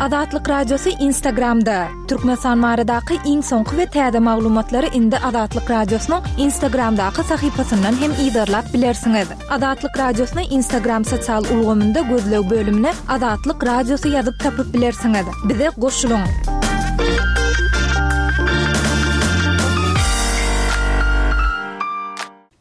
Azatlyk Radiosy Instagramda! Türkmenistan baradaky iň soňky we täze maglumatlary indi Azatlyk Radiosynyň Instagramdaky sahypasyndan hem yzarlap bilersiňiz. Azatlyk Radiosyny Instagram sosial ulgamynda gözleg bölümine Azatlyk Radiosy ýazyp tapyp bilersiňiz. Bize goşulyň!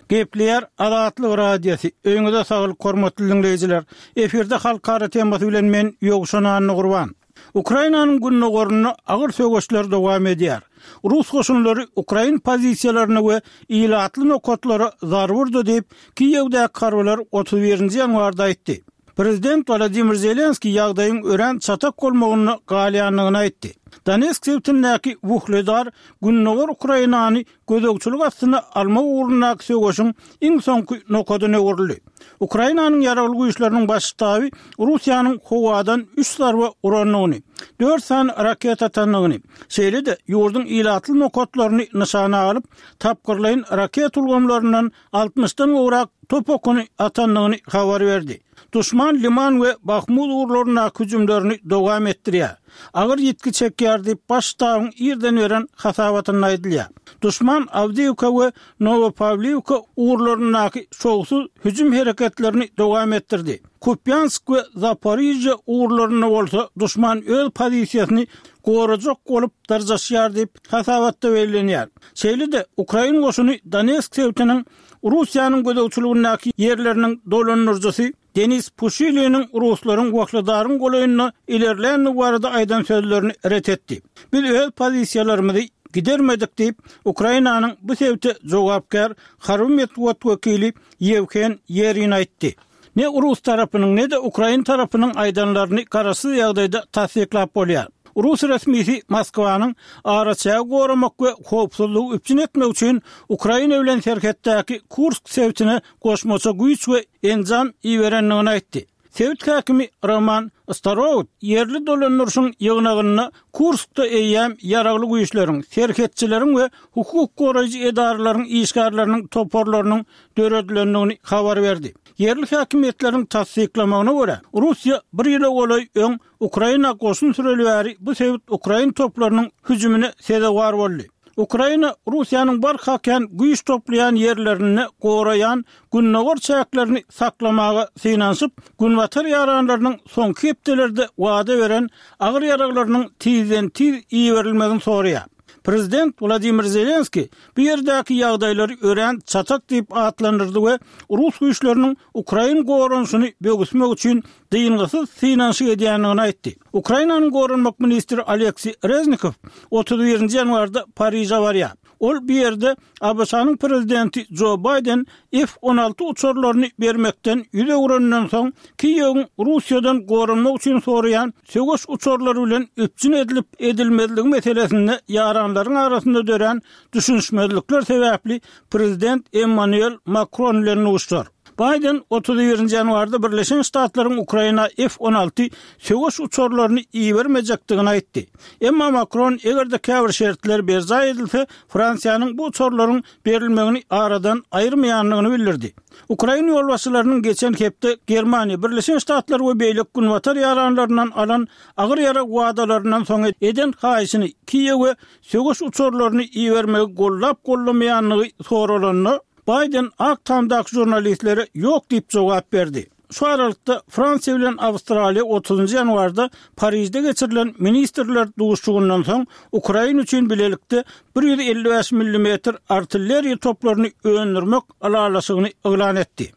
Gepleýär Azatlyk Radiosy, Öýüňize saglyk hormatly diňleýjiler! Efirde Halkara temasy bilen men Ýowşan Annagurban. Ukrainanyň gündogarynda agyr söweşler dowam edýär. Rus goşunlary ukrain pozisiýalaryna we ilatly nokatlara zarba urdy diýip, Kiýewdäki harbylar 31-nji ýanwarda aýtdy. Prezident Wolodymyr Zelenskiý ýagdaýyň örän çatak bolmagynda galýandygyny aýtdy. Donetsk sebitindäki Wuhledar gündogar Ukrainany gözegçilik astyna almak ugrundaky söweşiň iň soňky nokadyna öwrüldi. Ukrainanyň Ýaragly Güýçleriniň Baş ştaby Russiýanyň howadan üç zarba urandygyny, dört sany raketa atandygyny, şeýle-de ýurduň ilatly nokatlaryny nyşana alyp, tapgyrlaýyn raketa ulgamlaryndan altmyşdan gowrak top okuny atandygyny habar berdi. Duşman Liman we Bahmut ugurlaryndaky hüjümlerini dowam etdirýär. Agyr ýitgi çekýär diýip, Baş ştabyň irden beren hasabatynda aýdylýar. Duşman Awdiýewka we Nowopawliwka ugurlaryndaky şowsuz hüjüm hereketlerini dowam etdirdi. Kupýansk we Zaporižýa ugurlarynda bolsa duşman öz pozisiýasyny gorajak bolup dyrjaşýar diýip, hasabatda bellenýär. Şeýle-de, ukrain goşuny Donetsk sebitiniň Russiýanyň gözegçiligindäki ýerleriniň dolandyryjysy Denis Puşiliniň ruslaryň Wahledaryň golaýynda ilerländigi barada aýdan sözlerini ret etdi. Biz öz pozisiýalarymyzy gidermedik diýip, Ukrainanyň bu sebite jogapkär harby metbugat wekili Ýewhen Ýerin aýtdy. Ne rus tarapynyň, ne-de ukrain tarapynyň aýdanlaryny garaşsyz ýagdaýda tassyklap bolýar. Rus resmisi Moskwanyň araçägi goramak we howpsuzlygy üpjün etmek üçin Ukraina bilen serhetdäki Kursk sebitine goşmaça güýç we enjam iberendigini aýtdy. Sebit häkimi Roman Starowt ýerli dolandyryşyň ýygnagynda Kurskda eýýäm ýaragly güýçleriň, serhetçileriň we hukuk goraýjy edaralaryň işgärleriniň toparlarynyň döredilendigini habar berdi. Ýerli häkimiýetleriň tassyklamagyna görä, Russiýa bir ýyla golaý öň Ukraina goşun süreli bäri bu sebit ukrain toplarynyň hüjümine sezewar boldy. Ukraina Russiýanyň barha kän güýç toplaýan ýerlerinde goraýan gündogar çäklerini saklamaga synanyşyp, günbatar ýaranlarynyň soňky hepdelerde wada beren agyr ýaraglarynyň tizden-tiz iberilmegini soraýar. Prezident Wladimir Zelenskiý bu ýerdäki ýagdaýlary örän çatak diýip atlandyrdy we rus güýçleriniň ukrain goranyşyny böwüsmek üçin dyngysyz synanyşyk edýändigini aýtdy. Ukrainanyň goranmak ministri Oleksiý Reznikow 31-nji ýanwarda Pariže barýar. Ol bu ýerde ABŞ-nyň prezidenti Jo Baýden F-on alty uçarlaryny bermekden ýüz öwreninden soň, Kiýewiň Russiýadan goranmak üçin soraýan söweş uçarlary bilen üpjün edilip-edilmezligi meselesinde ýaranlaryň arasynda dörän düşünişmezlikler sebäpli prezident Emmanuel Makron bilen duşar. Baýden 31-nji ýanwarda Birleşen Ştatlaryň Ukraina F-on alty söweş uçarlaryny ibermejekdigini aýtdy. Emma Makron eger-de käbir şertler berjaý edilse, Fransiýanyň bu uçarlaryň berilmegini aradan aýyrmaýandygyny bildirdi. Ukrain ýolbaşçylarynyň geçen hepde Germaniýa, Birleşen Ştatlar we beýleki günbatar ýaranlaryndan alan agyr ýarag wadalaryndan soň eden haýyşyny Kiýewe söweş uçarlaryny ibermegi goldap-goldamaýandygy soralanda, Baýden Ak Tamdaky žurnalistlere ýok diýip jogap berdi. Şu aralykda, Fransiýa bilen Awstraliýa otuzynjy ýanwarda Parižde geçirilen ministrler duşuşygyndan soň Ukraina üçin bilelikde 155 millimetr artilleriýa toplaryny öndürmek ylalaşygyny yglan etdi.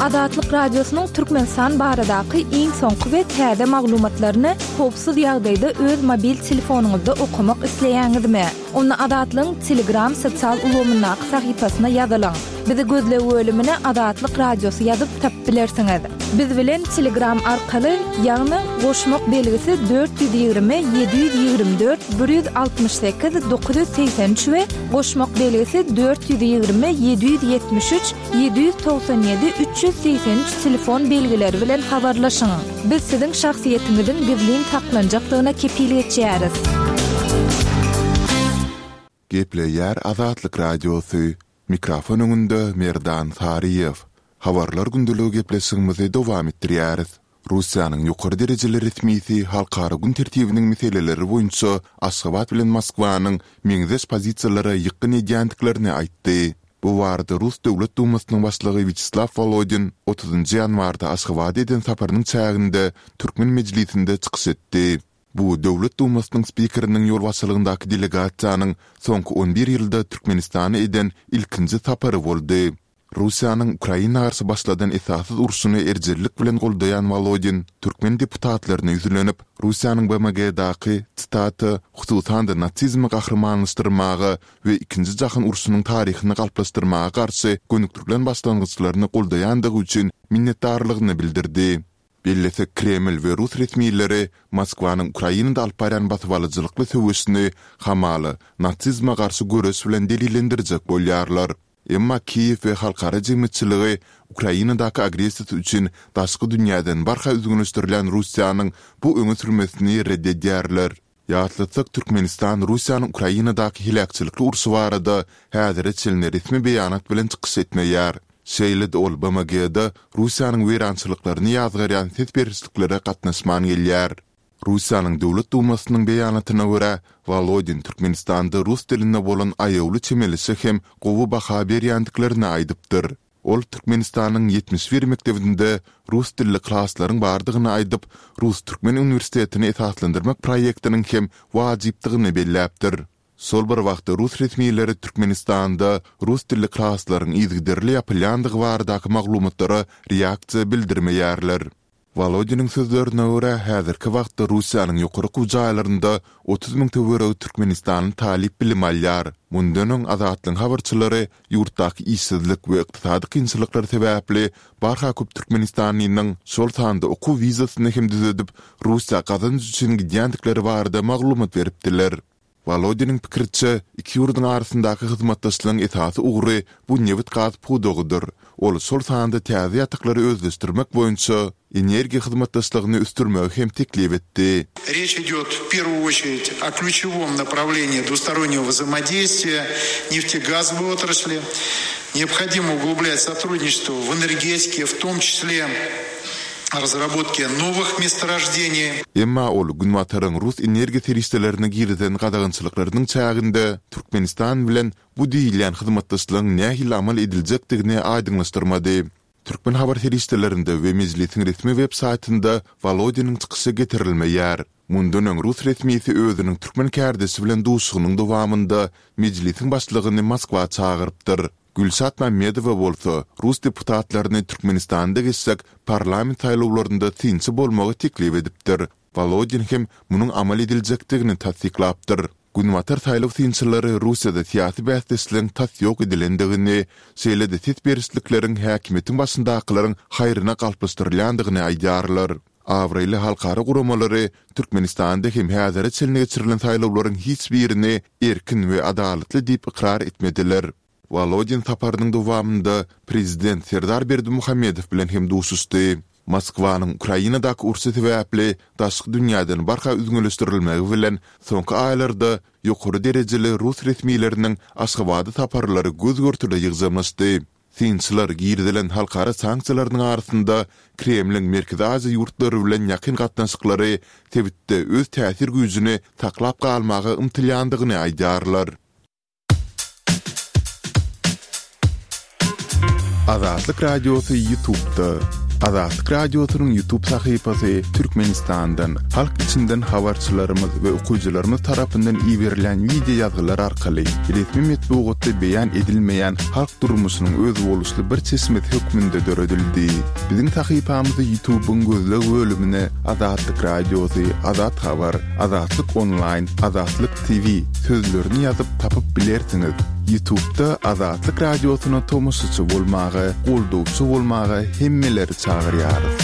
Azatlyk Radiosynyň Türkmenistan baradaky iň soňky we täze maglumatlaryny howpsuz ýagdaýda öz mobil telefonyňyzda okamak isleýäňizmi? Onda Azatlygyň Telegram sosial ulgamyndaky sahypasyna ýazylyň. Bizi gözleg bölümine Azatlyk Radiosy ýazyp tapyp bilersiňiz. Biz bilen Telegram arkaly, ýagny goşmak belgisi 420 724 168 983 we goşmak belgisi 420 773 797 383 telefon belgileri bilen habarlaşyň. Biz siziň şahsyýetiňiziň gizlin saklanjakdygyna kepil geçýäris. Gepleýär Azatlyk Radiosy, Mikrofon öňünde Merdan Saryýew. Habarlar gündeligi gepleşigimizi dowam etdirýäris. Russiýanyň ýokary derejeli resmisi halkara gün tertibiniň meseleleri boýunça Aşgabat bilen Moskwanyň meňzeş pozisiýalara ýykgyn edýändiklerini aýtdy. Bu barada Rus Döwlet Dumasynyň başlygy Wýaçeslaw Wolodin otuzynjy ýanwarda Aşgabada eden saparynyň çäginde türkmen mejlisinde çykyş etdi. Bu Döwlet Dumasynyň spikeriniň ýolbaşçylygyndaky delegasiýanyň soňky on bir ýylda Türkmenistana eden ilkinji sapary boldy. Russiýanyň Ukraina garşy başladan esassyz urşuny erjellik bilen goldaýan Wolodin türkmen deputatlaryna ýüzlenip, Russiýanyň BMG-daky, citata, hususan-da nasizmi gahrymanlaşdyrmaga we Ikinji jahan urşunyň taryhyny galplaşdyrmaga garşy gönükdirilen başlangyçlaryny goldaýandygy üçin minnetdarlygyny bildirdi. Bellesek, Kreml we rus resmileri Moskwanyň Ukrainada alyp barýan basybalyjylykly söweşini hamala nasizme garşy göreş bilen delillendirjek bolýarlar. Emma Kiýew we halkara jemgyýetçiligi Ukrainadaky agressiýasy üçin daşky dünýäden barha üzňeleşdirilýän Russiýanyň bu öňe sürmesini ret edýärler. Ýatlatsak, Türkmenistan Russiýanyň Ukrainadaky heläkçilikli urşy barada häzire çenli resmi beýanat bilen çykyş etmeýär. Şeýle-de ol BMG-da Russiýanyň weýrançylyklaryny ýazgarýan ses berişliklere gatnaşman gelýär. Russiýanyň Döwlet Dumasynyň beýanatyna görä, Wolodin Türkmenistanda rus diline bolan aýawly çemeleşe hem gowy baha berýändiklerini aýdypdyr. Ol Türkmenistanyň 71 mekdebinde rus dilli klaslaryň bardygyny aýdyp, Rus-türkmen uniwersitetini esaslandyrmak proýektiniň hem wajypdygyny belläpdir. Şol bir wagtda rus resmileri Türkmenistanda rus dilli klaslaryň yzygiderli ýapylýandygy baradaky maglumatlara reaksiýa bildirmeýärler. Wolodiniň sözlerine görä, häzirki wagtda Russiýanyň ýokary okuw jaýlarynda 30 müň töweregi türkmenistanly talyp bilim alýar. Mundan öň Azatlygyň habarçylary ýurtdaky işsizlik we ykdysady kynçylyklar sebäpli barha köp türkmenistanlynyň, şol sanda okuw wizasyny hem düzedip, Russiýa gazanç üçin gidýändikleri barada maglumat beripdiler. Wolodiniň pikiriçe, iki ýurduň arasyndaky hyzmatdaşlygyň esasy ugry bu nebit-gaz pudagydyr. Ol şol sanda täze ýataklary özleşdirmek boýunça energiýa hyzmatdaşlygyny ösdürmegi hem teklip etdi. Reç idýot w perwuýu oçerit o klýuçewom naprawleniýi dwustoronnego wzaimodeýstwiýa neftegazowoý otrasli. Neobhodimo uglublyat sotrudniçestwo w energetike, w tom çisle razrabotke nowych mestorojdeniý. Emma ol Günbataryň rus energiýa serişdelerine girizen gadagançylyklarynyň çäginde Türkmenistan bilen bu diýilýän hyzmatdaşlygyň nähili amal ediljekdigini aýdyňlaşdyrmady. Türkmen habar serişdelerinde we Mejlisiň resmi web saýtynda Wolodiniň çykyşy getirilmeýär. Mundan öň rus resmisi özüniň türkmen kärdeşi bilen duşuşygynyň dowamynda Mejlisiň başlygyny Moskwa çagyrypdyr. Gülşat Mämmedowa bolsa rus deputatlaryny Türkmenistanda geçjek parlament saýlawlarynda synçy bolmagy teklip edipdir. Wolodin hem munuň amal ediljekdigini tassyklapdyr. Günbatar saýlaw synçylary Russiýada syýasy bäsdeşligiň tas ýok edilendigini, şeýle-de ses berişlikleriň häkimiýetiň başyndakylaryň haýryna galplaşdyrylýandygyny aýdýarlar. Abraýly halkara guramalary Türkmenistanda hem häzire çenli geçirilen saýlawlaryň hiç birini erkin we adalatly diýip ykrar etmediler. Wolodin saparynyň dowamynda prezident Serdar Berdimuhamedow bilen hem duşuşdy. Moskwanyň Ukrainadaky urşy sebäpli daşky dünýäden barha üzňeleşdirilmegi bilen soňky aýlarda ýokary derejeli rus resmileriniň Aşgabada saparlary göz-görtele ýygjamlaşdy. Synçylar girizilen halkara sanksiýalarynyň arasynda Kremliň Merkezi Aziýa ýurtlary bilen ýakyn gatnaşyklary sebitde öz täsir güýjüni saklap galmaga ymtylýandygyny aýdýarlar. Azatlyk Radiosy Ýutubda. Azatlyk Radiosynyň Ýutub sahypasy Türkmenistandan, halk içinden habarçylarymyz we okyjylarymyz tarapyndan iberilýän wideo ýazgylar arkaly resmi metbugatda beýan edilmeýän halk durmuşynyň özboluşly bir çeşmesi hökmünde döredildi. Biziň sahypamyzy Ýutubyň gözleg bölümine Azatlyk Radiosy, Azat Habar, Azatlyk Onlaýn, Azatlyk TV sözlerini ýazyp tapyp bilersiňiz. Ýutubda Azatlyk Radiosyna tomaşaçy bolmaga, goldawçy bolmaga hemmeleri çagyrýarys.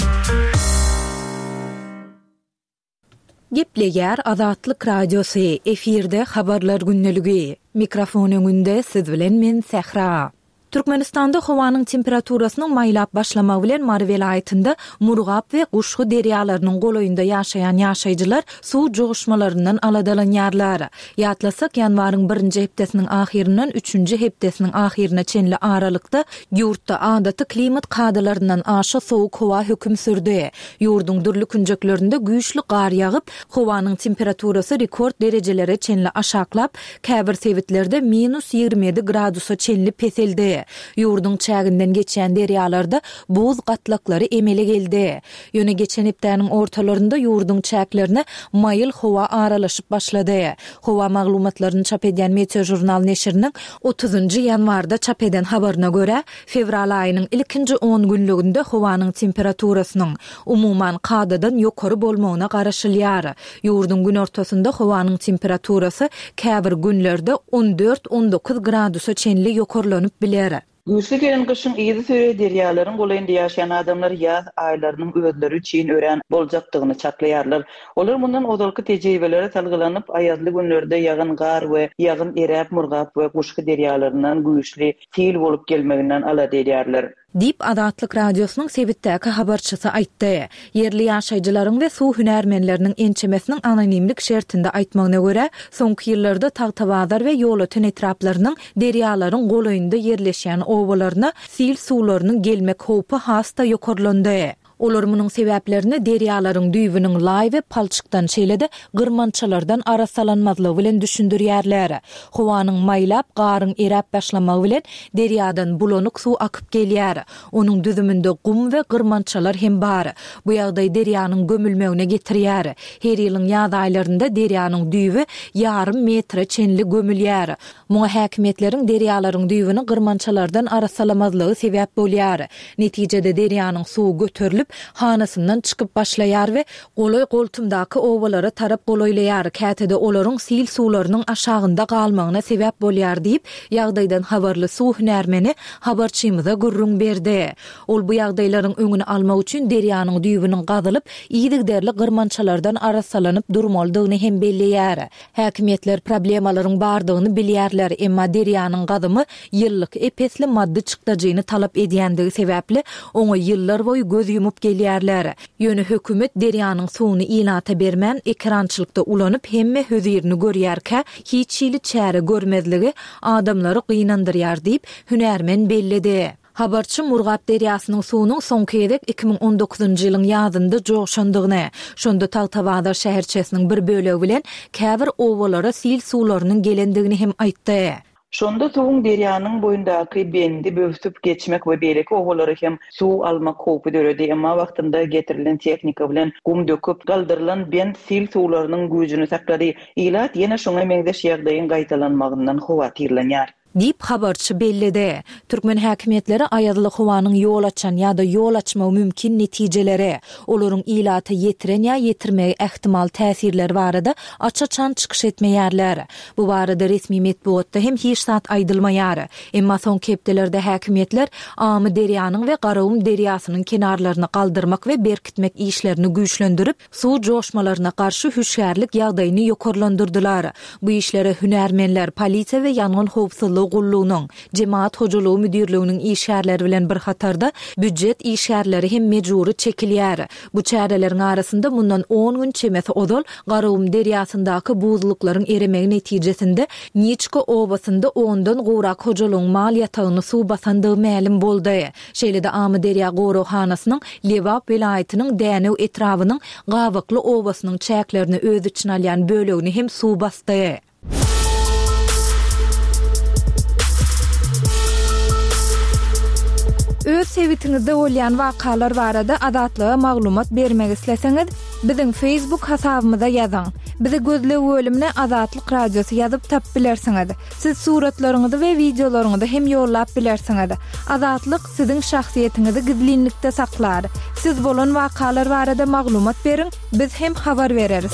Gepleýär Azatlyk Radiosy, efirde Habarlar gündeligi. Mikrofon öňünde siz bilen men Sähra. Türkmenistanda howanyň temperaturasynyň maýlap başlamagy bilen Mary welaýatynda Murgap we Guşgy derýalarynyň golaýynda ýaşaýan ýaşaýjylar suw joşmalaryndan aladalanýarlar. Ýatlasak, ýanwaryň birinji hepdesiniň ahyryndan üçünji hepdesiniň ahyryna çenli aralykda ýurtda adaty klimat kadalaryndan aşa sowuk howa höküm sürdi. Ýurduň dürli künjeklerinde güýçli gar ýagyp, howanyň temperaturasy rekord derejelere çenli aşaklap, käbir sebitlerde minus 27 gradusa çenli peseldi. Ýurduň çäginden geçýän derýalarda buz gatlaklary emele geldi. Ýöne geçen hepdäniň ortalarynda ýurduň çäklerine maýyl howa aralaşyp başlady. Howa maglumatlaryny çap edýän Meteožurnal neşiriniň otuzynjy ýanwarda çap eden habaryna görä, fewral aýynyň ilkinji on günlüginde howanyň temperaturasynyň, umuman, kadadan ýokary bolmagyna garaşylýar. Ýurduň günortasynda howanyň temperaturasy käbir günlerde on dört-on dokuz gradusa çenli ýokarlanyp biler. Güýçli gelen gyşyň yzysüre derýalaryň golaýynda ýaşaýan adamlar ýaz aýlarynyň özleri üçin örän boljakdygyny çaklaýarlar. Olar mundan ozalky tejribelere salgylanyp, aýazly günlerde ýagan gar we ýagyn eräp Murgap we Guşgy derýalaryndan güýçli sil bolup gelmeginden alada edýärler. Diýip, Azatlyk Radiosynyň sebitdäki habarçysy aýtdy. Ýerli ýaşaýjylaryň we suw hünärmenleriniň ençemesiniň anonimlik şertinde aýtmagyna görä, soňky ýyllarda Tagtabazar we Ýolöten etraplarynyň derýalaryň golaýynda ýerleşýän obalaryna sil suwlarynyň gelmek howpy has-da ýokarlandy. Olar munuň sebäplerini derýalaryň düýbüniň laý we palçykdan, şeýle-de gyrmançalardan arassalanmazlygy bilen düşündirýärler. Howanyň maýlap, garyň eräp başlamagy bilen derýadan bulanyk suw akyp gelýär. Onuň düzüminde gum we gyrmançalar hem bar. Bu ýagdaý derýanyň gömülmegine getirýär. Her ýylyň ýaz aýlarynda derýanyň düýbi ýarym metre çenli gömülýär. Muňa häkimiýetleriň derýalaryň düýbüni gyrmançalardan arassalamazlygy sebäp bolýar. Netijede derýanyň suwy göterilip, hanasyndan çykyp başlaýar we golaý-goltumdaky obalara tarap golaýlaýar, käte-de olaryň sil suwlarynyň aşagynda galmagyna sebäp bolýar diýip, ýagdaýdan habarly suw hünärmeni habarçymyza gürrüň berdi. Ol bu ýagdaýlaryň öňüni almak üçin derýanyň düýbüniň gazylyp, yzygiderli gyrmançalardan arassalanyp durmalydygyny hem belleýär. Häkimiýetler problemalaryň bardygyny bilýärler, emma derýanyň gazymy ýyllyk ep-esli maddy çykdajyny talap edýändigi sebäpli, oňa ýyllarboýy göz ýumup gelýärler. Ýöne hökümet derýanyň suwuny ilata bermän, ekerançylykda ulanyp hemme hözirini görýärkä, hiç hili çäre görmezligi adamlary gynandyrýar diýip, hünärmen belledi. Habarçy Murgap derýasynyň suwunyň soňky gezek 2019-njy ýylyň ýazynda joşandygyny, şonda Tagtabazar şäherçesiniň bir bölegi bilen käbir obalara sil suwlarynyň gelendigini hem aýtdy. Şonda suwuň derýanyň boýundaky bendi böwsüp geçmek we beýleki obalara hem suw almak howpy döredi. Emma wagtynda getirilen tehnika bilen gum döküp, galdyrylan bent sil suwlarynyň güýjüni saklady. Ilat ýene şuňa meňzeş ýagdaýyň gaýtalanmagyndan howatyrlanýar. Diýip, habarçy belledi. Türkmen häkimiýetleri aýazly howanyň ýol açan ýa-da ýol açmagy mümkin netijeleri, olaryň ilata ýetiren ýa ýetirmegi ähtimal täsirleri barada aç-açan çykyş etmeýärler. Bu barada resmi metbugatda hem hiç zat aýdylmaýar. Emma soňky hepdelerde häkimiýetler Amyderýanyň we Garagum derýasynyň kenarlaryny galdyrmak we berkitmek işlerini güýçlendirip, Suw joşmalaryna garşy hüşgärlik ýagdaýyny ýokarlandyrdylar. Bu işlere hünärmenler, polisiýa we ýangyn howpsuzlygy gullugynyň, jemagat hojalygy müdirliginiň işgärleri bilen bir hatarda, býujet işgärleri hem mejbury çekilýär. Bu çäreleriň arasynda mundan on gün çemesi ozal Garagum derýasyndaky buzluklaryň eremegi netijesinde Niçka obasynda ondan gowrak hojalygyň mal ýatagyny suw basandygy mälim boldy. Şeýle-de Amyderýa goraghanasynyň Lebap welaýatynyň Dänew etrabynyň Gabakly obasynyň çäklerini öz içine alýan bölegini hem suw basdy. Öz sebitiňizde bolýan wakalar barada Azatlyga maglumat bermek isleseňiz, biziň Facebook hasabymyza ýazyň. Bizi gözleg bölümine Azatlyk Radiosy ýazyp tapyp bilersiňiz. Siz suratlaryňyzy we wideolaryňyzy hem ýollap bilersiňiz. Azatlyk siziň şahsyýetiňizi gizlinlikde saklar. Siz bolan wakalar barada maglumat beriň, biz hem habar bereris.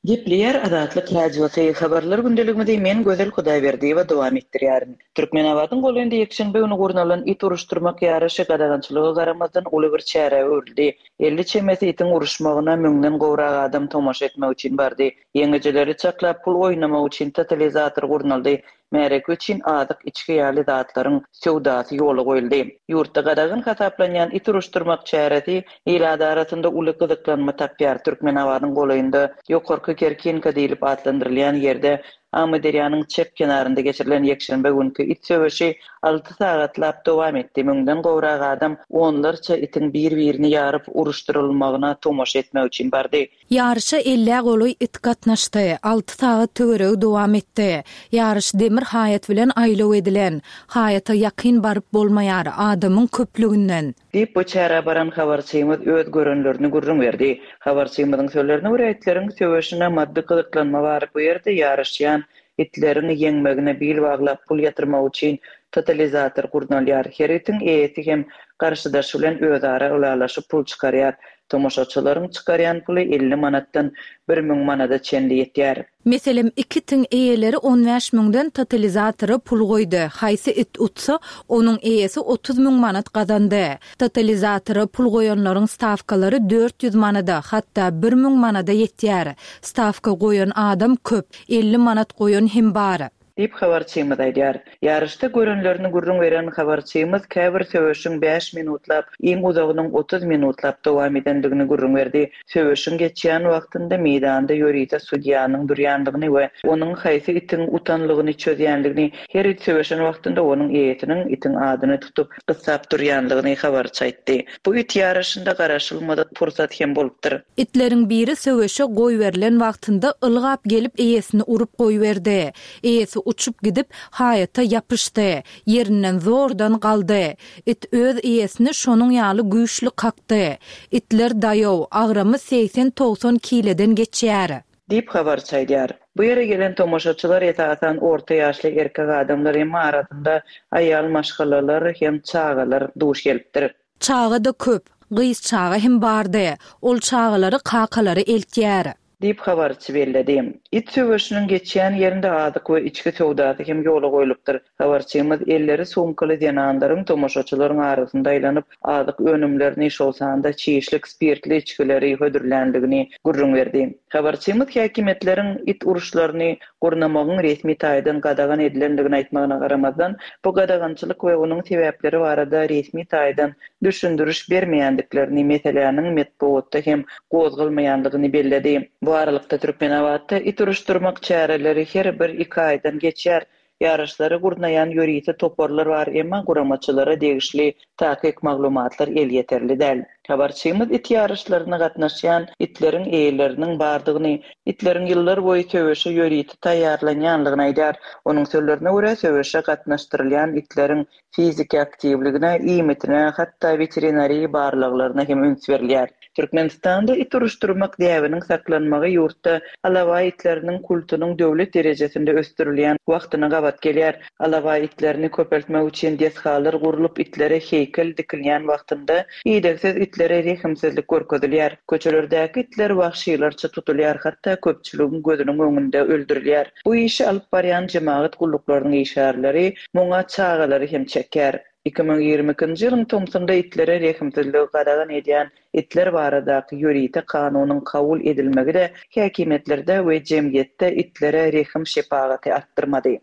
Gepleýär Azatlyk Radiosy, Habarlar gündeligimizi men Gözel Hudaýberdiýewa dowam etdirýärin. Türkmenabadyň golaýynda ýekşenbe güni gurnalan it uruşdyrmak ýaryşy gadagançylyga garamazdan uly bir çärä öwrüldi. 50 çemesi itiň uruşmagyna müňden gowrak adam tomaşa etmek üçin bardy. Ýeňijileri çaklap pul oýnamak üçin totalizator gurnaldy. Märeke üçin azyk, içgi ýaly zatlaryň söwdasy ýola goýuldy. Ýurtda gadagan hasaplanýan it uruşdyrmak çäresi ilat arasynda uly gyzyklanma tapýar. Türkmenabadyň golaýynda Ýokarky Kerkinka diýlip atlandyrylýan ýerde Amyderýanyň çep kenarynda geçirilen ýekşenbe günki it söweşi alty sagatlap dowam etdi. Müňden gowrak adam onlarça itiň bir-birini ýaryp uruşdyrylmagyna tomaşa etmek üçin bardy. Ýaryşa ellä golaý it gatnaşdy. Alty sagat töweregi dowam etdi. Ýaryş demir haýat bilen aýlaw edilen. Haýata ýakyn baryp bolmaýar, adamyň köplüginden. Diýip, bu çärä baran habarçymyz öz görenlerini gürrüň berdi. Habarçymyzyň sözlerine görä, itleriň söweşine maddy gyzyklanma bar, bu ýerde ýaryşýan itleriň ýeňmegine bil baglap pul ýatyrmak üçin totalizator gurnalýar. Her itiň eýesi hem garşydaşy bilen özara ylalaşyp pul çykarýar. Tomaşaçylaryň çykarýan puly 50 manatdan 1000 manada çenli ýetýär. Meselem, iki itiň eýeleri on bäş müňden totalizatora pul goýdy. Haýsy it utsa, onuň eýesi 30 müň manat gazandy. Totalizatora pul goýanlaryň stawkalary 400 manada, hatda 1000 manada ýetýär. Stawka goýan adam köp, 50 manat goýan hem bar. Diýip, habarçymyz aýdýar. Ýaryşda görenlerini gürrüň beren habarçymyz käbir söweşiň bäş minutlap, iň uzagynyň 30 minutlap dowam edendigini gürrüň berdi. Söweşiň geçýän wagtynda meýdanda ýörite sudýanyň durýandygyny we onuň haýsy itiň utanlygyny çözýändigini, her it söweşen wagtynda onuň eýesiniň itiň adyny tutup, gyssap durýandygyny habarçy aýtdy. Bu it ýaryşynda garaşylmadyk pursat hem bolupdyr. Itleriň biri söweşe goýberilen wagtynda ylgap gelip eýesini urup goýberdi. Eýesi uçup gidip, haýata ýapyşdy. Ýerinden zordan galdy. It öz eýesini şonuň ýaly güýçli kakdy. Itler daýaw, agramy segsen-togsan kileden geçýär. Diýip, habarçy aýdýar. Bu ýere gelen tomaşaçylar esasan orta ýaşly erkek adamlar, emma arasynda aýal maşgalalar hem çagalar duş gelipdir. Çaga-da köp, gyz çaga hem bardy. Ol çagalary kakalary eltýär. Diýip, habarçy belledi. It söweşiniň geçýän ýerinde azyk we içgi söwdasy hem ýola goýlupdyr. Habarçymyz elleri sumkaly zenanlaryň tomaşaçylaryň arasynda aýlanyp, azyk önümlerini, şol sanda çişlik spirtli içgileri hödürländigini gürrüň berdi. Habarçymyz häkimiýetleriň it uruşlaryny gurnamagyň resmi taýdan gadagan edilendigini aýtmagyna garamazdan, bu gadagançylyk we onuň sebäpleri barada resmi taýdan düşündiriş bermeýändiklerini, meseläniň metbugatda hem gozgalmaýandygyny belledi. Bu aralykda, Türkmenabatda it uruşdyrmak çäreleri her bir-iki aýdan geçýär. Ýaryşlary gurnaýan ýörite toparlar bar, emma guramaçylara degişli takyk maglumatlar elýeterli däl. Habarçymyz it ýaryşlaryna gatnaşýan itleriň eýeleriniň bardygyny, itleriň ýyllar boýy söweşe ýörite taýýarlanýanlygyny aýdýar. Onuň sözlerine görä, söweşe gatnaşdyrylýan itleriň Fiziki aktiwligine, iýmitine, hatda weterinariýa barlaglaryna hem üns berilýär. Türkmenistanda it uruşdyrmak däbiniň saklanmagy ýurtda alabaý itleriniň kultunyň döwlet derejesinde ösdürilýän wagtyna gabat gelýär. Alabaý itlerini köpeltmek üçin desgalar gurlup, itlere heýkel dikilýän wagtynda idegsiz itlere rehimsizlik görkezilýär. Köçelerdäki itler wagşylarça tutulýar, hatda köpçüligiň gözüniň öňünde öldürilýär. Bu işi alyp barýan jemagat gulluklarynyň işgärleri muňa çagalary hem çekýär. 2022-nji ýylyň tomsunda itlere rehimsizligi gadagan edýän itler baradaky ýörite kanunyň kabul edilmegi-de häkimiýetlerde we jemgyýetde itlere rehim-şepagaty artdyrmady.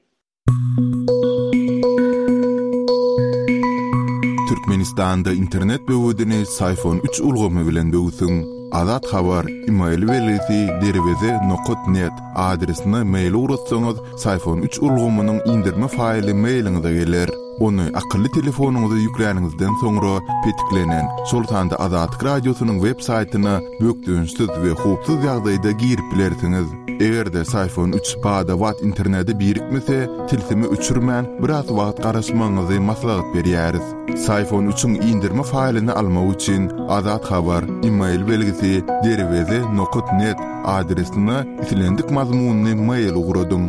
Türkmenistanda internet böwedini Syfon üç ulgamy bilen böwsüň. Azat Habar, email belgisi derweze nokat net adresine mail ugratsaňyz, Syfon üç ulgamynyň indirme faýly mailiňize geler. Ony akylly telefonyňyza ýükläniňizden soňra petiklenen, şol sanda Azatlyk Radiosynyň web saýtyna bökdençsiz we howpsuz ýagdaýda girip bilersiňiz. Eger-de Syfon üç bada-bat internete birikmese, tilsimi öçürmän, biraz wagt garaşmagyňyzy maslahat berýäris. Syfon üçiň indirme faýlyny almak üçin Azat Habar, email belgisi derweze nokat net adresine islendik mazmunly mail ugradyň.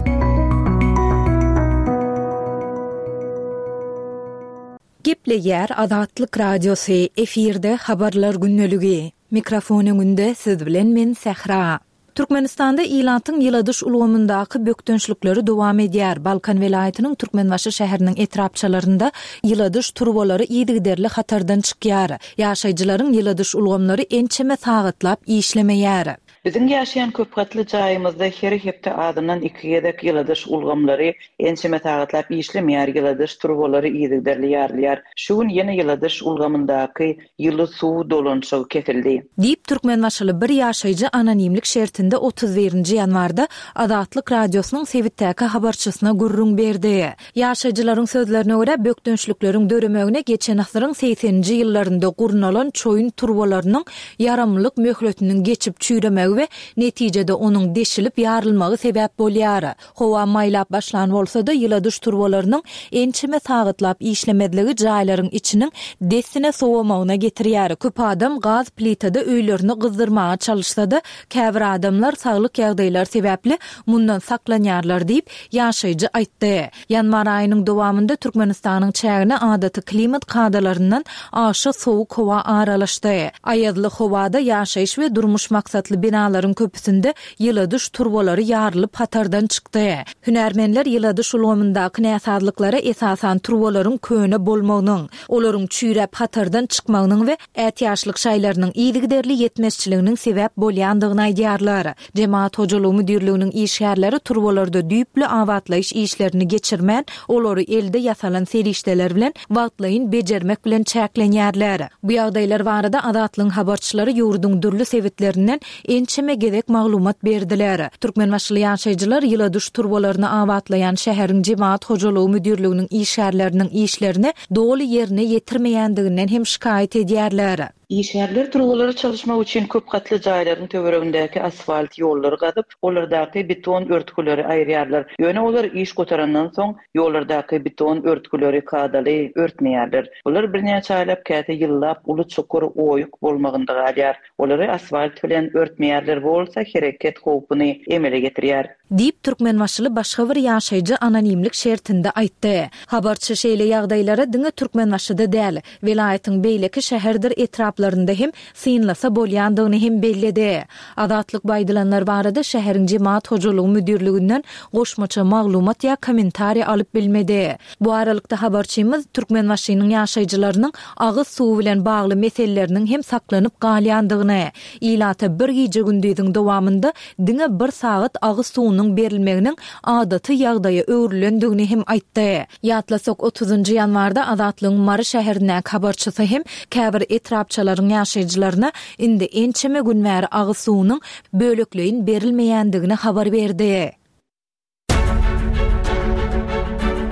Gepleýär Azatlyk Radiosy, efirde Habarlar gündeligi. Mikrofon öňünde siz bilen men Sähra. Türkmenistanda ilatyň ýyladyş ulgamyndaky bökdençlikleri dowam edýär. Balkan welaýatynyň Türkmenbaşy şäheriniň etrapçalarynda ýyladyş turbalary yzygiderli hatardan çykýar. Ýaşaýjylaryň ýyladyş ulgamlary ençeme sagatlap işlemeýär. Biziň ýaşaýan köpgatly jaýymyzda her hepde azyndan iki gezek ýyladyş ulgamlary ençeme sagatlap işlemeýär, ýyladyş turbalary yzygiderli ýarylýar. Şu gün ýene ýyladyş ulgamyndaky Ýyly suw dolanyşygy kesildi. Diýip, türkmenbaşyly bir ýaşaýjy anonimlik şertinde 31 nji ýanwarda Azatlyk Radiosynyň sebitdäki habarçysyna gürrüň berdi. Ýaşaýjylaryň sözlerine görä, bökdençlikleriň döremegine geçen asyryň segseninji ýyllarynda gurnalan çoýun turbalarynyň ýaramlylyk möhletiniň geçip çüýremegi we netijede onuň deşilip ýarylmagy sebäp bolýar. Howa maýlap başlan bolsa-da, ýyladyş turbalarynyň ençeme sagatlap işlemezligi jaýlaryň içiniň dessine sowamagyna getirýär. Köp adam gaz plitada öýlerini gyzdyrmaga çalyşsa-da, käbir adamlar saglyk ýagdaýlary sebäpli mundan saklanýarlar diýip, ýaşaýjy aýtdy. Ýanwar aýynyň dowamynda Türkmenistanyň çägine adaty klimat kadalaryndan aşa sowuk howa aralaşdy. Aýazly howada ýaşaýyş we durmuş maksatly binalaryň köpüsinde ýyladyş turbalary ýarylyp hatardan çykdy. Hünärmenler ýyladyş ulgamyndaky näsazlyklara esasan turbalaryň köne bolmagynyň, olaryň çüýräp hatardan çykmagynyň we ätiýaçlyk şaýlarynyň yzygiderli ýetmezçiliginiň sebäp bolýandygyny aýdýarlar. Jemagat hojalygy müdirliginiň işgärleri turbalarda düýpli abatlaýyş işlerini geçirmän, olary elde ýasalan serişdeler bilen wagtlaýyn bejermek bilen çäklenýärler. Bu ýagdaýlar barada Azatlygyň habarçylary ýurduň dürli sebitlerinden ençeme gezek maglumat berdiler. Türkmenbaşyly ýaşaýjylar ýyladyş turbalaryny abatlaýan şäheriň jemagat hojalygy müdirliginiň işgärleriniň işlerini doly ýerine ýetirmeýändiginden hem şikaýat edýärler. Işgärler turbalary çalyşmak üçin köp gatly jaýlaryň töweregindäki asfalt ýollary gazyp, olardaky beton örtgüleri aýyrýarlar. Ýöne olar iş gutarandan soň, ýollardaky beton örtgüleri kadaly örtmeýärler. Bular birnäçe aýlap, käte ýyllap uly çukur, oýuk bolmagynda galýar. Olary asfalt bilen örtmeýärler, bu bolsa hereket howpuny emele getirýär. Diýip, türkmenbaşyly başga bir ýaşaýjy anonimlik şertinde aýtdy. Habarçy şeýle ýagdaýlara diňe Türkmenbaşyda däl, welaýatyň beýleki şäherdir etraplarynda hem synlasa bolýandygyny hem belledi. Azatlyk bu aýdylanlar barada şäheriň jemagat hojalygy müdirliginden goşmaça maglumat ýa kommentariý alyp bilmedi. Bu aralykda habarçymyz Türkmenbaşynyň ýaşaýjylarynyň agyz suwy bilen bagly meseleleriniň hem saklanyp galýandygyny, ilata bir gije-gündiziň dowamynda diňe bir sagat agyz suwunyň berilmeginiň adaty ýagdaýa öwrülendigini hem aýtdy. Ýatlasak, otuzynjy ýanwarda Azatlygyň Mary şäherindäki habarçysy hem käbir etrapçalaryň ýaşaýjylaryna indi ençeme gün bäri agyz suwunyň bölekleýin berilmeýändigini habar berdi.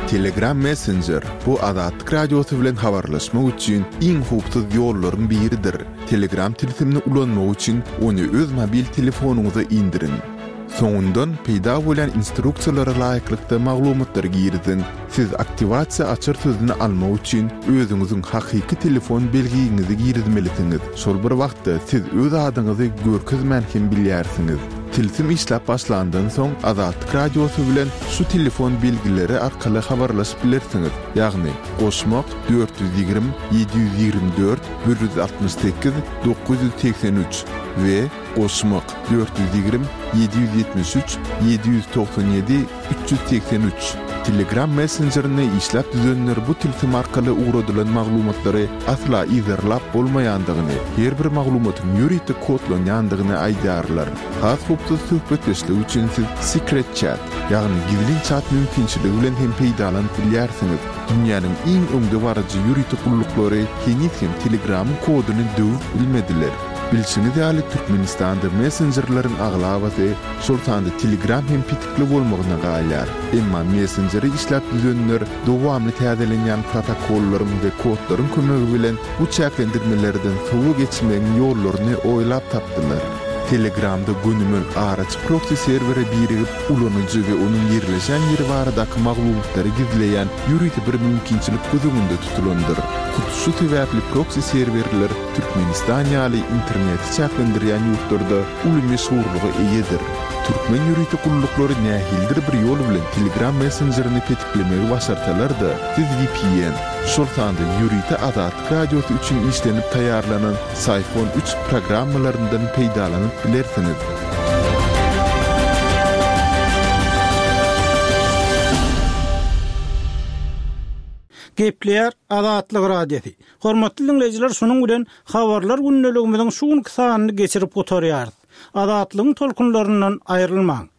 Telegram Messenger, bu Azatlyk Radiosy bilen habarlaşmak üçin iň howpsuz ýollaryň biridir. Telegram tilsimini ulanmak üçin ony öz mobil telefonyňyza indiriň. Soňundan peýda bolýan instruksiýalara laýyklykda maglumatlary giriziň. Siz aktiwasiýa açar sözüni almak üçin özüňiziň hakyky telefon belgiňizi girizmelisiňiz. Şol bir wagtda siz öz adyňyzy görkezmän hem bilýärsiňiz. Tilsim işläp başlandan soň Azatlyk Radiosy bilen şu telefon belgileri arkaly habarlaşyp bilersiňiz, ýagny, goşmak, 420 724 168 983 we goşmak, 420 773 797 383. Telegram messenjerini işläp düzenler bu tilsim arkaly ugradylan maglumatlary asla yzarlap bolmaýandygyny, her bir maglumatyň ýörite kodlanýandygyny aýdýarlar. Has howpsuz söhbetdeşlik üçin siz Secret Chat, ýagny gizlin çat mümkinçiligi bilen hem peýdalanyp bilýärsiňiz. Dünýäniň iň öňdebaryjy ýörite gulluklary heniz hem Telegramyň koduny döwüp bilmediler. Bilşiňiz ýaly, Türkmenistanda messenjerleriň aglabasy, şol sanda Telegram hem petikli bolmagyna galýar. Emma messenjeri işläp düzenler dowamly täzelenýän protokollaryň we kodlaryň kömegi bilen bu çäklendirmelerden sowa geçmegiň ýollaryny oýlap tapdylar. Telegramda gönümel araçy proksi serwere birigip, ulanyjy we onuň ýerleşen ýeri baradaky maglumatlary gizleýän ýörite bir mümkinçilik göz öňünde tutulandyr. Hut şu sebäpli proksi serwerler Türkmenistan ýaly interneti çäklendirýän ýurtlarda uly meşhurlyga eýedir. Türkmen ýörite gulluklary nähilidir bir ýol bilen Telegram messenjerini petiklemegi başarsalar-da, siz vpn, şol sanda ýörite Azatlyk Radiosy üçin işlenip taýýarlanan Syphon üç programmalaryndan peýdalanyp bilersiňiz. Gepleýär Azatlyk Radiosy. Hormatly diňleýjiler şunuň bilen Habarlar gündeligimiziň şu günki sanyny geçirip gutarýarys. Azatlygyň tolkunlaryndan aýrylmaň.